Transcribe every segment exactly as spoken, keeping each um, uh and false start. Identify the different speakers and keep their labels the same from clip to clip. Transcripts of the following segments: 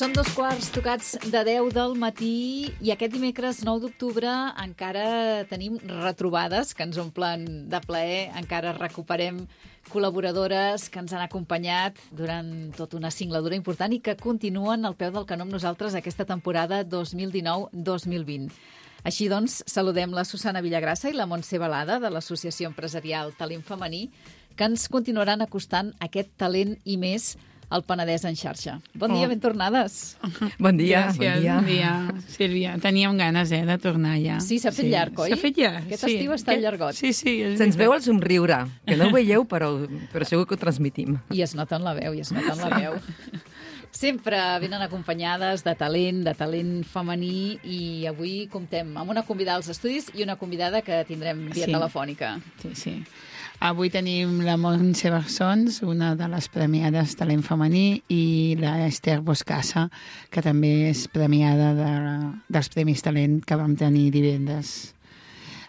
Speaker 1: Són dos quarts tocats de deu del matí i aquest dimecres nou d'octubre encara tenim retrobades que ens omplen de plaer, encara recuperem col·laboradores que ens han acompanyat durant tota una singladura important i que continuen al peu del canó amb nosaltres aquesta temporada dos mil dinou dos mil vint. Així doncs, saludem la Susana Villagrassa i la Montse Balada de l'Associació Empresarial Talent Femení, que ens continuaran acostant aquest talent i més al Penedès en xarxa. Bon dia, oh. ben tornades.
Speaker 2: Bon dia.
Speaker 3: Gràcies, bon dia. Bon dia, Sílvia. Teníem ganes, eh, de tornar ja.
Speaker 1: Sí, s'ha fet sí. llarg, oi?
Speaker 3: S'ha fet llarg,
Speaker 1: Aquest
Speaker 3: sí.
Speaker 1: estiu està llargot.
Speaker 3: Sí, sí.
Speaker 2: Se'ns veu el somriure, que no ho veieu, però, però segur que ho transmitim.
Speaker 1: I es nota en la veu, i es nota en la veu. Sempre venen acompanyades de talent, de talent femení, i avui comptem amb una convidada als estudis i una convidada que tindrem via
Speaker 3: sí.
Speaker 1: telefònica.
Speaker 3: Sí, sí. Avui tenim la Montse Barsons, una de les premiades talent femení, i la Esther Boscassa, que també és premiada de, dels Premis Talent que vam tenir divendres.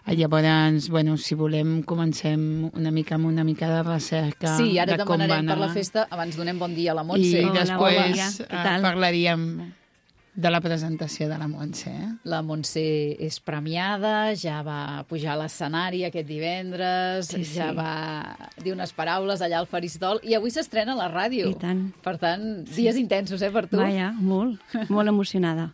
Speaker 3: Llavors, bueno, si volem, comencem una mica amb una mica de recerca.
Speaker 1: Sí, ara
Speaker 3: de com
Speaker 1: demanarem per la festa. Abans donem bon dia a la Montse.
Speaker 3: I
Speaker 1: Hola,
Speaker 3: després hola. parlaríem de la presentació de la Montse. Eh?
Speaker 1: La Montse és premiada, ja va pujar a l'escenari aquest divendres, sí, sí. ja va dir unes paraules allà al faristol, i avui s'estrena a la ràdio.
Speaker 4: I tant.
Speaker 1: Per tant, dies sí. intensos, eh, per tu?
Speaker 4: Vaja, molt, molt emocionada.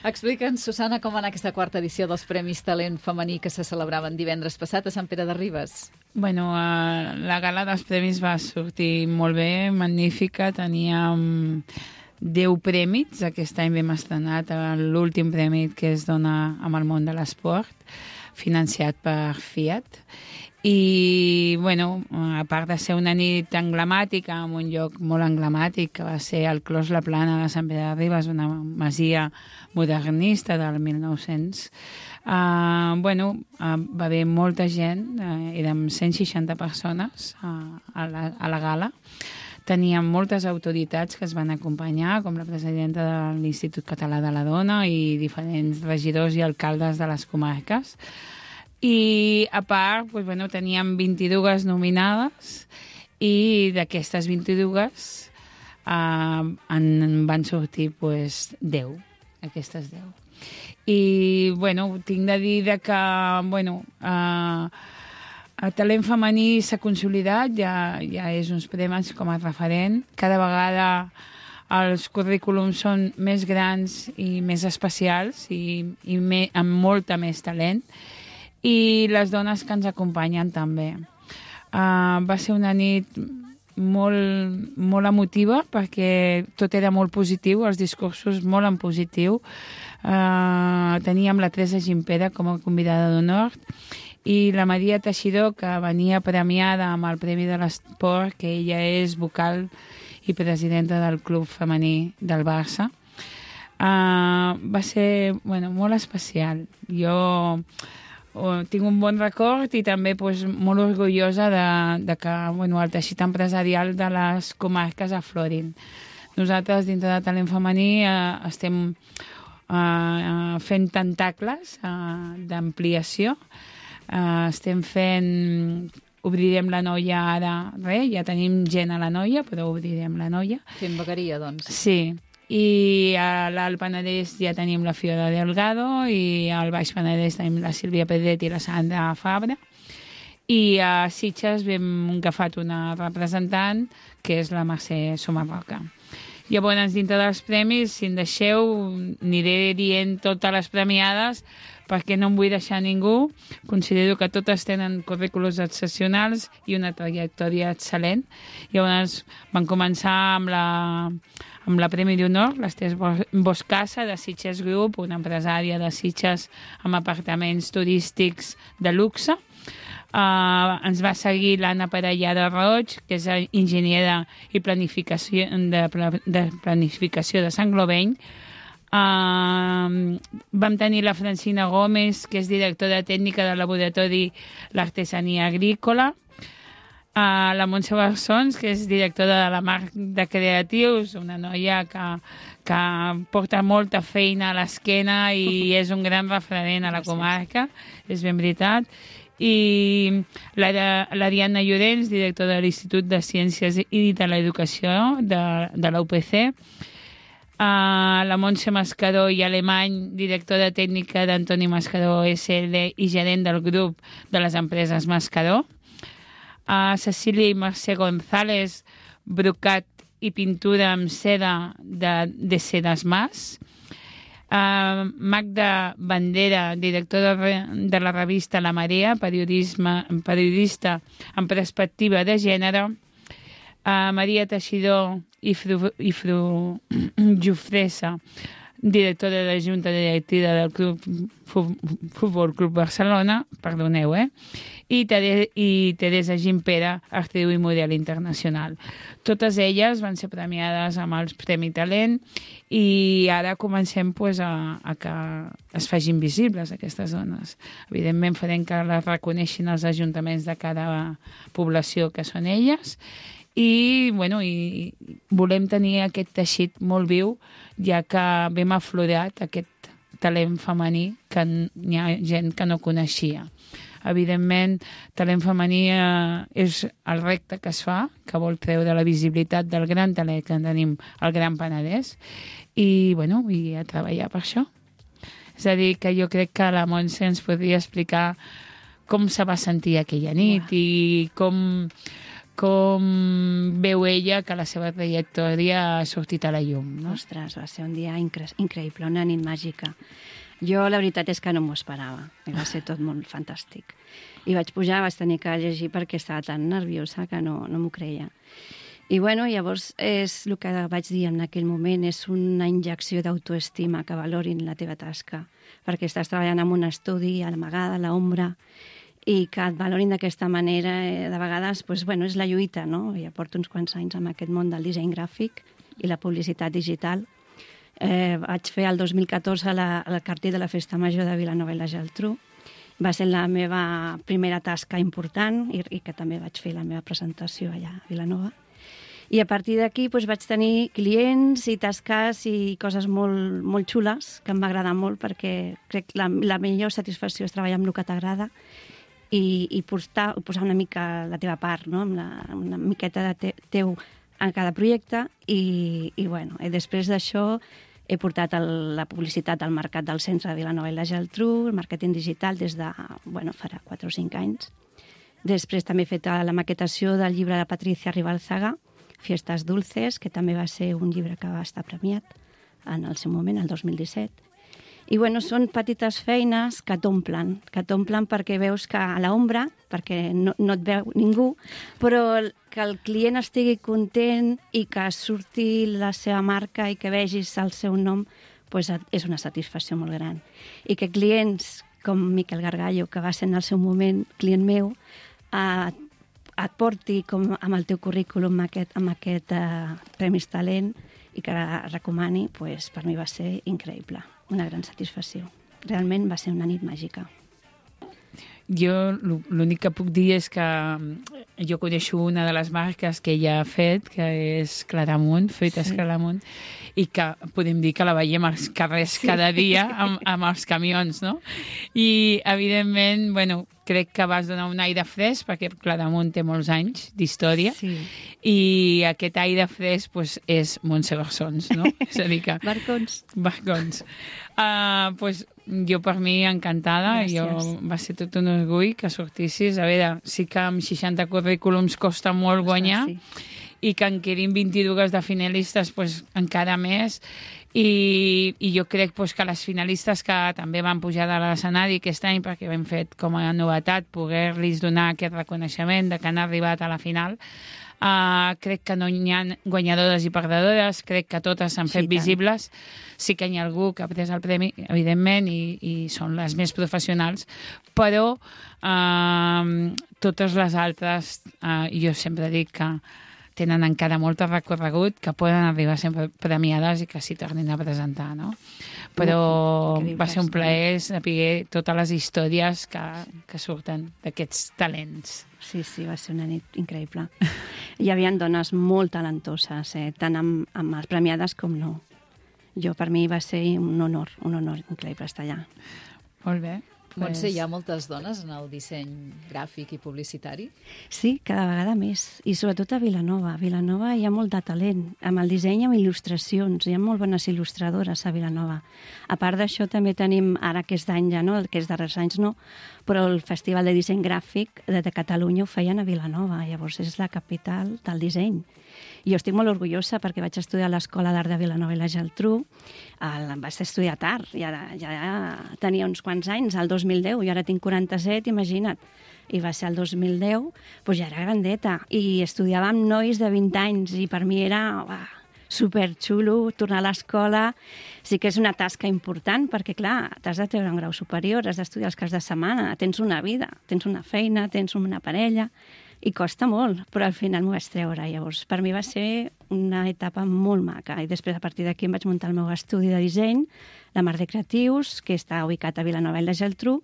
Speaker 1: Explica'ns, Susana, com va anar aquesta quarta edició dels Premis Talent Femení que se celebraven divendres passat a Sant Pere de Ribes.
Speaker 3: Bueno, uh, la gala dels premis va sortir molt bé, magnífica, teníem deu prèmits. Aquest any vam estrenat l'últim premi que es dona amb el món de l'esport, financiat per Fiat. I, bueno, a part de ser una nit emblemàtica, en un lloc molt emblemàtic, que va ser el Clos La Plana de Sant Pere de Ribes, una masia modernista del mil nou-cents, uh, bueno, uh, va haver molta gent, uh, érem cent seixanta persones uh, a, la, a la gala. Teníem moltes autoritats que es van acompanyar, com la presidenta de l'Institut Català de la Dona i diferents regidors i alcaldes de les comarques. I, a part, doncs, bueno, teníem vint-i-dues nominades i d'aquestes vint-i-dues eh, en van sortir doncs, deu, aquestes deu. I, bueno, tinc de dir que, bueno, eh, el talent femení s'ha consolidat, ja, ja és uns premis com a referent. Cada vegada els currículums són més grans i més especials i, i me, amb molta més talent. I les dones que ens acompanyen també. Uh, va ser una nit molt, molt emotiva perquè tot era molt positiu, els discursos molt en positiu. Uh, teníem la Teresa Gimpera com a convidada d'honor i la Maria Teixidor, que venia premiada amb el Premi de l'Esport, que ella és vocal i presidenta del Club Femení del Barça. Uh, va ser bueno, molt especial. Jo uh, tinc un bon record i també pues, molt orgullosa de, de que bueno, el teixit empresarial de les comarques aflorin. Nosaltres, dintre de Talent Femení, uh, estem uh, fent tentacles uh, d'ampliació. Uh, estem fent... Obrirem la Noia ara, res, ja tenim gent a la Noia, però obrirem la Noia.
Speaker 1: Fem bequeria, doncs.
Speaker 3: Sí, i a l'Alt Penedès ja tenim la Fiora Delgado i al Baix Penedès tenim la Sílvia Pedret i la Sandra Fabra. I a Sitges hem agafat una representant, que és la Mercè Somarroca. Llavors, dintre dels premis, si em deixeu, aniré dient totes les premiades, perquè no em vull deixar ningú. Considero que totes tenen currículums excepcionals i una trajectòria excel·lent. Llavors van començar amb la, amb la Premi d'Honor, l'Esther Boscassa, de Sitges Group, una empresària de Sitges amb apartaments turístics de luxe. Uh, ens va seguir l'Anna Parellada Roig, que és enginyera i planificació de, de planificació de Sant Gloveny. Uh, vam tenir la Francina Gómez, que és directora tècnica del laboratori l'Artesania Agrícola. Uh, la Montse Barsons, que és directora de la Marc de Creatius, una noia que, que porta molta feina a l'esquena i és un gran referent a la comarca, és ben veritat. I l'Ariadna Llorenç, directora de l'Institut de Ciències i de l'Educació de, de la U P C. Uh, la Montse Mascaró i Alemany, directora tècnica d'Antoni Mascaró S L i gerent del grup de les empreses Mascaró. Uh, Cecília i Mercè González, brocat i pintura amb seda de, de Sedes Mas. Uh, Magda Bandera, directora de la revista La Marea, periodisme, periodista en perspectiva de gènere. Uh, Maria Teixidor i Fru, i Fru Jofresa, directora de la Junta Directiva del Club Futbol Club Barcelona, perdoneu, eh? I, Tere, i Teresa Gimpera, actriu i model internacional. Totes elles van ser premiades amb els Premi Talent i ara comencem pues, a, a que es facin visibles aquestes dones. Evidentment farem que les reconeixin els ajuntaments de cada població que són elles i, bueno, i volem tenir aquest teixit molt viu, ja que hem aflorat aquest talent femení que hi ha gent que no coneixia. Evidentment, talent femení eh, és el repte que es fa, que vol treure la visibilitat del gran talent que tenim al Gran Penedès i, bueno, i a treballar per això. És a dir, que jo crec que la Montse ens podria explicar com se va sentir aquella nit wow. i com... com veu ella que la seva trajectòria ha sortit a la llum. No?
Speaker 4: Ostres, va ser un dia incre increïble, una nit màgica. Jo la veritat és que no m'ho esperava, va ser tot molt fantàstic. I vaig pujar, vaig tenir que llegir perquè estava tan nerviosa que no, no m'ho creia. I bueno, llavors és el que vaig dir en aquell moment, és una injecció d'autoestima, que valorin la teva tasca, perquè estàs treballant en un estudi, a l'amagada, a l'ombra, i que et valorin d'aquesta manera, eh, de vegades, pues, bueno, és la lluita, no? Ja porto uns quants anys en aquest món del disseny gràfic i la publicitat digital. Eh, vaig fer el dos mil catorze la, el cartell de la Festa Major de Vilanova i la Geltrú. Va ser la meva primera tasca important i, i que també vaig fer la meva presentació allà a Vilanova. I a partir d'aquí pues, vaig tenir clients i tasques i coses molt, molt xules que em va agradar molt perquè crec que la, la millor satisfacció és treballar amb el que t'agrada i, i posar, posar una mica la teva part, no? Amb la, una miqueta de te, teu en cada projecte i, i, bueno, i després d'això he portat el, la publicitat al mercat del centre de Vilanova i la Geltrú, el màrqueting digital des de, bueno, farà quatre o cinc anys. Després també he fet la maquetació del llibre de Patricia Ribalzaga, Fiestas Dulces, que també va ser un llibre que va estar premiat en el seu moment, el dos mil disset. I bueno, són petites feines que t'omplen, que t'omplen perquè veus que a l'ombra, perquè no, no et veu ningú, però que el client estigui content i que surti la seva marca i que vegis el seu nom, pues és una satisfacció molt gran. I que clients com Miquel Gargallo, que va ser en el seu moment client meu, eh, et porti com amb el teu currículum amb aquest, amb aquest eh, Premis Talent i que recomani, pues, per mi va ser increïble. Una gran satisfacció. Realment va ser una nit màgica.
Speaker 3: Jo l'únic que puc dir és que jo coneixo una de les marques que ella ha fet, que és Claramunt, Fruites sí. Claramunt, i que podem dir que la veiem als carrers sí. cada dia amb, amb els camions, no? I, evidentment, bueno, crec que vas donar un aire fresc, perquè Claramunt té molts anys d'història, sí. i aquest aire fresc pues, és Montse Barcons, no? És a dir que...
Speaker 4: Barcons.
Speaker 3: Barcons. Uh, pues, jo per mi encantada, jo, va ser tot un orgull que sortissis. A veure, sí que amb seixanta currículums costa molt guanyar, sí. i que en quedin vint-i-dues de finalistes pues, encara més, i, i jo crec pues, que les finalistes que també van pujar de l'escenari aquest any, perquè hem fet com a novetat poder-los donar aquest reconeixement de que han arribat a la final, Uh, crec que no hi ha guanyadores i perdedores, crec que totes s'han fet sí, visibles. Sí que hi ha algú que ha pres el premi, evidentment, i, i són les més professionals, però uh, totes les altres, uh, jo sempre dic que tenen encara molt recorregut, que poden arribar sempre premiades i que s'hi tornin a presentar, no? Però va ser un plaer saber totes les històries que, que surten d'aquests talents.
Speaker 4: Sí, sí, va ser una nit increïble. Hi havia dones molt talentoses, eh? tant amb, amb les premiades com no. Jo, per mi, va ser un honor, un honor increïble estar allà.
Speaker 3: Molt bé.
Speaker 1: Montse, hi ha moltes dones en el disseny gràfic i publicitari?
Speaker 4: Sí, cada vegada més, i sobretot a Vilanova. A Vilanova hi ha molt de talent, amb el disseny i amb il·lustracions. Hi ha molt bones il·lustradores a Vilanova. A part d'això, també tenim, ara aquest any ja no, aquests darrers anys no, però el Festival de Disseny Gràfic de Catalunya ho feien a Vilanova, llavors és la capital del disseny. I jo estic molt orgullosa perquè vaig estudiar a l'Escola d'Art de Vilanova i la Geltrú. El, vaig estudiar tard, ja, ja tenia uns quants anys, el dos mil deu, i ara tinc quaranta-set, imagina't. I va ser el dos mil deu, doncs ja era grandeta. I estudiava amb nois de vint anys i per mi era uah, superxulo tornar a l'escola. Sí que és una tasca important perquè, clar, t'has de treure un grau superior, has d'estudiar els caps de setmana, tens una vida, tens una feina, tens una parella... I costa molt, però al final m'ho vaig treure. Llavors, per mi va ser una etapa molt maca. I després, a partir d'aquí, em vaig muntar el meu estudi de disseny, la Mar de Creatius, que està ubicat a Vilanova i la Geltrú,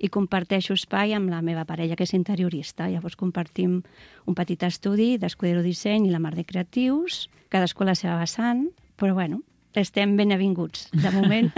Speaker 4: i comparteixo espai amb la meva parella, que és interiorista. Llavors, compartim un petit estudi d'Escudero Disseny i la Mar de Creatius, cadascú a la seva vessant, però bueno, estem ben avinguts, de moment.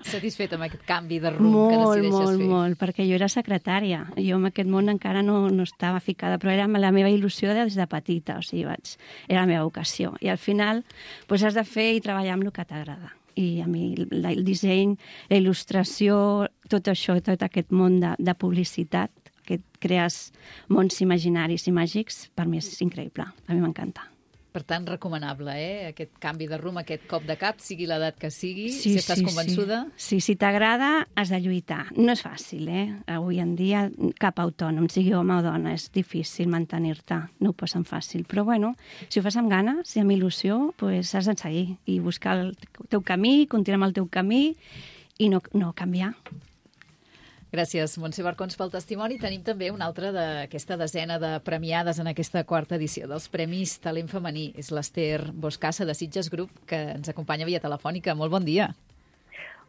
Speaker 1: Satisfet amb aquest canvi de rumb
Speaker 4: molt,
Speaker 1: que decideixes
Speaker 4: molt,
Speaker 1: fer?
Speaker 4: Molt, molt, perquè jo era secretària. Jo en aquest món encara no, no estava ficada, però era la meva il·lusió des de petita, o sigui, vaig, era la meva vocació. I al final doncs, has de fer i treballar amb el que t'agrada. I a mi el disseny, la il·lustració, tot això, tot aquest món de, de publicitat, que crees mons imaginaris i màgics, per mi és increïble. A mi m'encanta.
Speaker 1: Per tant, recomanable, eh? Aquest canvi de rumb, aquest cop de cap, sigui l'edat que sigui,
Speaker 4: sí,
Speaker 1: si estàs
Speaker 4: sí,
Speaker 1: convençuda...
Speaker 4: Sí, sí si t'agrada, has de lluitar. No és fàcil, eh? Avui en dia, cap autònom, sigui home o dona, és difícil mantenir-te. No ho posen fàcil. Però, bueno, si ho fas amb ganes i amb il·lusió, doncs has de seguir i buscar el teu camí, continuar amb el teu camí i no, no canviar.
Speaker 1: Gràcies, Montse Barcons, pel testimoni. Tenim també una altra d'aquesta desena de premiades en aquesta quarta edició dels Premis Talent Femení. És l'Ester Boscassa, de Sitges Group, que ens acompanya via telefònica. Molt bon dia.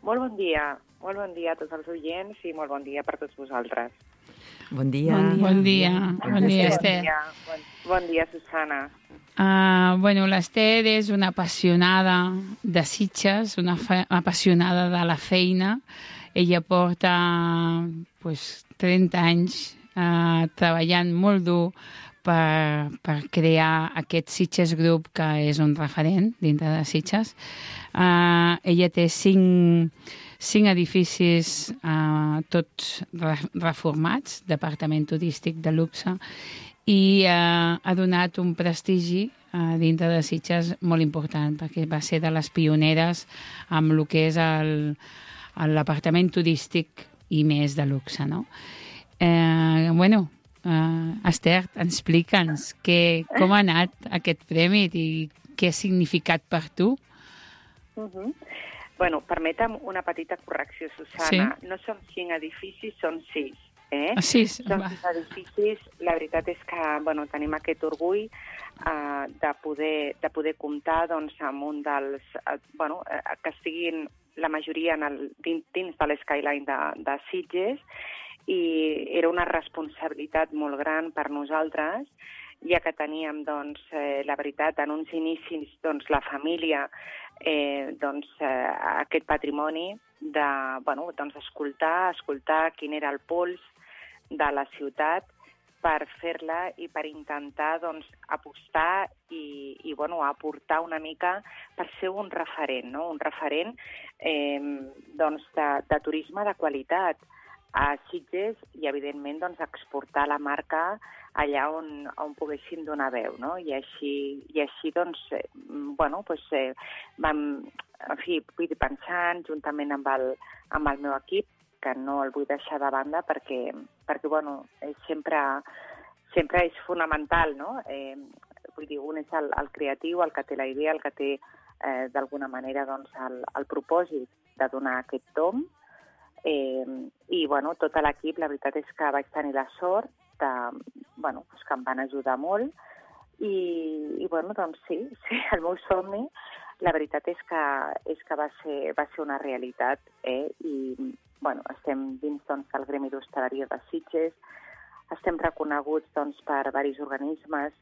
Speaker 5: Molt bon dia. Molt bon dia a tots els oients i molt bon dia per tots vosaltres.
Speaker 2: Bon dia.
Speaker 3: Bon dia. Bon dia, bon dia Esther.
Speaker 5: Bon dia, bon, bon dia Susana.
Speaker 3: Uh, bueno, l'Ester és una apassionada de Sitges, una fe- apassionada de la feina. Ella porta pues, trenta anys uh, treballant molt dur per, per crear aquest Sitges Group, que és un referent dintre de Sitges. Uh, ella té cinc, cinc edificis, uh, tots re reformats, departament turístic de luxe, i uh, ha donat un prestigi uh, dintre de Sitges molt important, perquè va ser de les pioneres amb el que és el a l'apartament turístic i més de luxe, no? Eh, bueno, eh, Esther, explica'ns que, com ha anat aquest premi i què ha significat per tu?
Speaker 5: Uh -huh. Bueno, permetem una petita correcció, Susana.
Speaker 3: Sí?
Speaker 5: No són cinc edificis, són sis. Eh?
Speaker 3: Ah, sis?
Speaker 5: Són sis edificis. La veritat és que bueno, tenim aquest orgull eh, de, poder, de poder comptar doncs, amb un dels... Eh, bueno, eh, que estiguin la majoria en el, dins, dins de l'Skyline de, de Sitges, i era una responsabilitat molt gran per nosaltres, ja que teníem, doncs, eh, la veritat, en uns inicis, doncs, la família, eh, doncs, eh, aquest patrimoni de, bueno, doncs, escoltar, escoltar quin era el pols de la ciutat per fer-la i per intentar, doncs, apostar i, i bueno, aportar una mica per ser un referent, no? Un referent eh, doncs, de, de turisme de qualitat a Sitges i, evidentment, doncs, exportar la marca allà on, on poguéssim donar veu, no? I així, i així doncs, eh, bueno, doncs, eh, vam, en fi, vull dir, pensant, juntament amb el, amb el meu equip, que no el vull deixar de banda perquè, perquè bueno, sempre, sempre és fonamental, no? Eh, vull dir, un és el, el creatiu, el que té la idea, el que té, eh, d'alguna manera, doncs, el, el propòsit de donar aquest tom. Eh, I, bueno, tot l'equip, la veritat és que vaig tenir la sort de, bueno, doncs que em van ajudar molt i, i bueno, doncs sí, sí, el meu somni, la veritat és que, és que va, ser, va ser una realitat, eh? I, bueno, estem dins, doncs, del Gremi d'Hostaleria de Sitges, estem reconeguts, doncs, per diversos organismes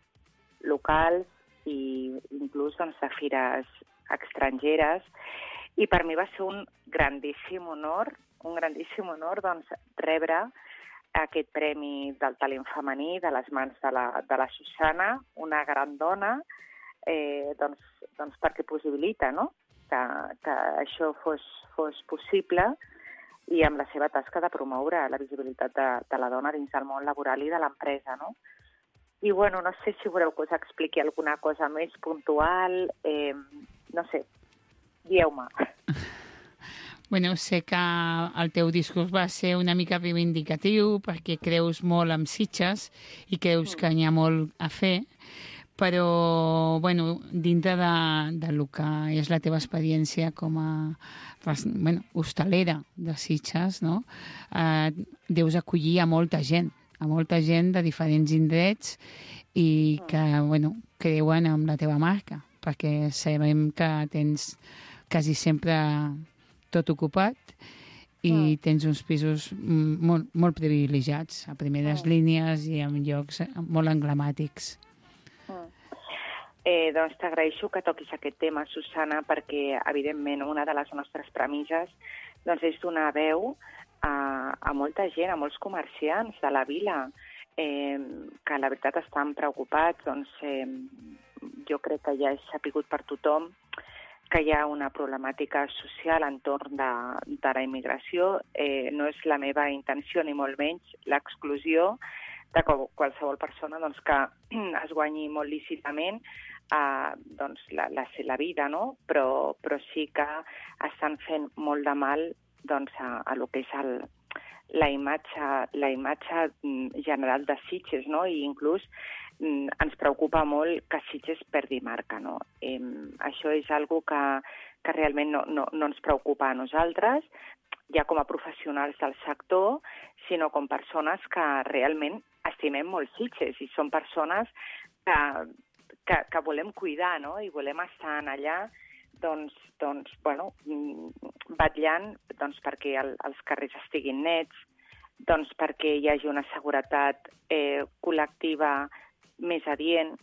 Speaker 5: locals i inclús, doncs, de fires estrangeres, I per mi va ser un grandíssim honor, un grandíssim honor doncs, rebre aquest premi del talent femení de les mans de la, de la Susana, una gran dona, eh, doncs, doncs perquè possibilita, no?, que, que això fos, fos possible, i amb la seva tasca de promoure la visibilitat de, de la dona dins del món laboral i de l'empresa, no? I, bueno, no sé si voleu que us expliqui alguna cosa més puntual, eh, no sé, dieu-me.
Speaker 3: Bueno, sé que el teu discurs va ser una mica reivindicatiu perquè creus molt en Sitges i creus que n'hi ha molt a fer, però, bueno, dintre de, de lo que és la teva experiència com a bueno, hostalera de Sitges, no? Eh, deus acollir a molta gent, a molta gent de diferents indrets i que, bueno, creuen en la teva marca, perquè sabem que tens quasi sempre tot ocupat i tens uns pisos molt, molt privilegiats, a primeres línies i en llocs molt emblemàtics.
Speaker 5: Eh, doncs t'agraeixo que toquis aquest tema, Susana, perquè, evidentment, una de les nostres premisses doncs, és donar veu a, a molta gent, a molts comerciants de la vila, eh, que la veritat estan preocupats. Doncs, eh, jo crec que ja és sapigut per tothom que hi ha una problemàtica social entorn de, de la immigració. Eh, no és la meva intenció, ni molt menys, l'exclusió de qualsevol persona doncs, que es guanyi molt lícitament eh, doncs, la, la, la vida, no? Però, però sí que estan fent molt de mal doncs, a, a lo que és el, la, imatge, la imatge general de Sitges, no? I inclús mm, ens preocupa molt que Sitges perdi marca, no? Eh, això és algo que, que realment no, no, no ens preocupa a nosaltres, ja com a professionals del sector, sinó com persones que realment estimem molt Sitges i són persones que, que, que volem cuidar, no? I volem estar allà doncs, doncs, bueno, vetllant doncs, perquè el, els carrers estiguin nets, doncs, perquè hi hagi una seguretat eh, col·lectiva més adient,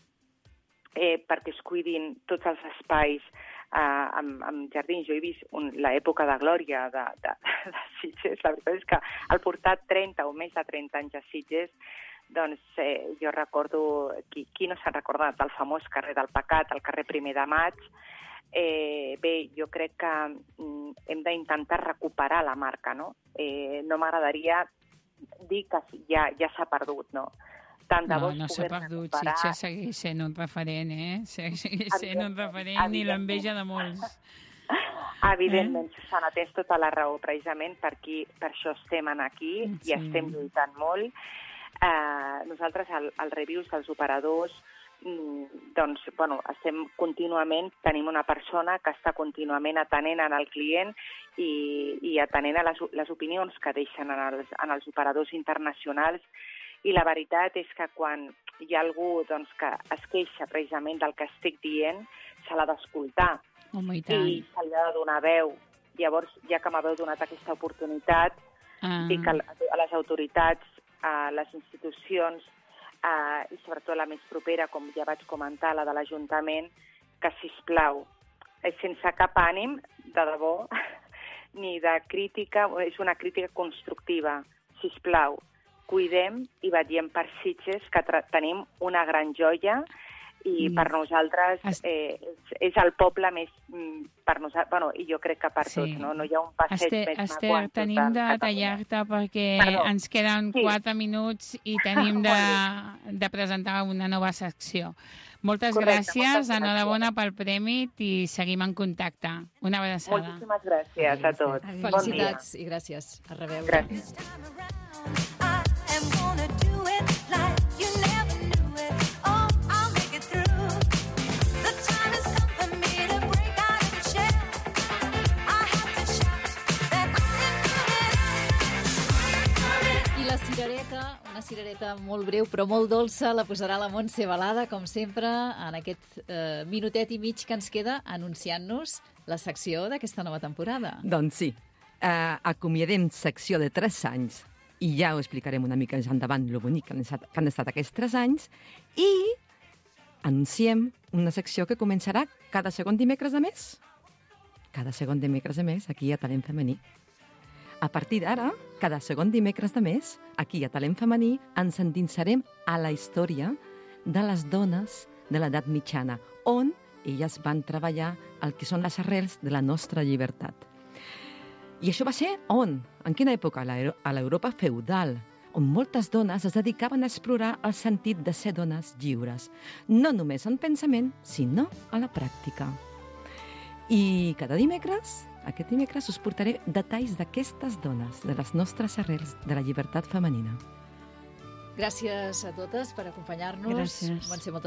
Speaker 5: eh, perquè es cuidin tots els espais eh, amb, amb jardins. Jo he vist l'època de glòria de, de, de Sitges. La veritat és que al portar trenta o més de trenta anys a Sitges, doncs eh, jo recordo, qui, qui no s'ha recordat del famós carrer del Pecat, el carrer Primer de Maig. Eh, bé, jo crec que mm, hem d'intentar recuperar la marca, no? Eh, no m'agradaria dir que ja, ja s'ha perdut, no? Tant de
Speaker 3: no,
Speaker 5: bo
Speaker 3: no s'ha perdut, recuperar... Sitges segueix sent un referent, eh? Segueix sent un referent i l'enveja de molts.
Speaker 5: Evidentment, eh? Susana, tens tota la raó, precisament per, aquí, per això estem aquí sí. I estem lluitant molt. Eh, nosaltres, al, al reviews dels operadors, doncs, bueno, estem contínuament, tenim una persona que està contínuament atenent en el client i, i atenent a les, les opinions que deixen en els, en els operadors internacionals, i la veritat és que quan hi ha algú doncs, que es queixa precisament del que estic dient, se l'ha d'escoltar
Speaker 3: oh, i,
Speaker 5: i se li ha de donar veu. Llavors, ja que m'haveu donat aquesta oportunitat, ah. dic a les autoritats, a les institucions, Uh, i sobretot la més propera, com ja vaig comentar, la de l'Ajuntament, que, sisplau, sense cap ànim, de debò, ni de crítica, és una crítica constructiva, sisplau, cuidem i vetllem per Sitges, que tenim una gran joia i per nosaltres eh, és, és el poble més... per nosaltres, bueno, i jo crec que per sí. tots, no? No hi ha un passeig
Speaker 3: Esther,
Speaker 5: més
Speaker 3: Esther,
Speaker 5: maco.
Speaker 3: Esther, tenim de tallar-te perquè Perdó. ens queden sí. quatre minuts i tenim de, de presentar una nova secció. Moltes Correcte, gràcies, moltes enhorabona pel premi i seguim en contacte. Una abraçada.
Speaker 5: Moltíssimes gràcies a tots.
Speaker 1: Felicitats bon i gràcies. A reveure.
Speaker 5: Gràcies.
Speaker 1: Cirereta, una cirereta molt breu però molt dolça, la posarà la Montse Balada, com sempre, en aquest eh, minutet i mig que ens queda anunciant-nos la secció d'aquesta nova temporada.
Speaker 2: Doncs sí, eh, acomiadem secció de tres anys i ja ho explicarem una mica més endavant lo bonic que han estat, que han estat aquests tres anys i anunciem una secció que començarà cada segon dimecres de mes. cada segon dimecres de mes, aquí a Talent Femení. A partir d'ara, cada segon dimecres de mes, aquí a Talent Femení, ens endinsarem a la història de les dones de l'edat mitjana, on elles van treballar el que són les arrels de la nostra llibertat. I això va ser on? En quina època? A l'Europa feudal, on moltes dones es dedicaven a explorar el sentit de ser dones lliures, no només en pensament, sinó a la pràctica. I cada dimecres, aquest dimecres, us portaré detalls d'aquestes dones, de les nostres arrels, de la llibertat femenina.
Speaker 1: Gràcies a totes per acompanyar-nos.
Speaker 4: Gràcies.
Speaker 1: Van ser moltes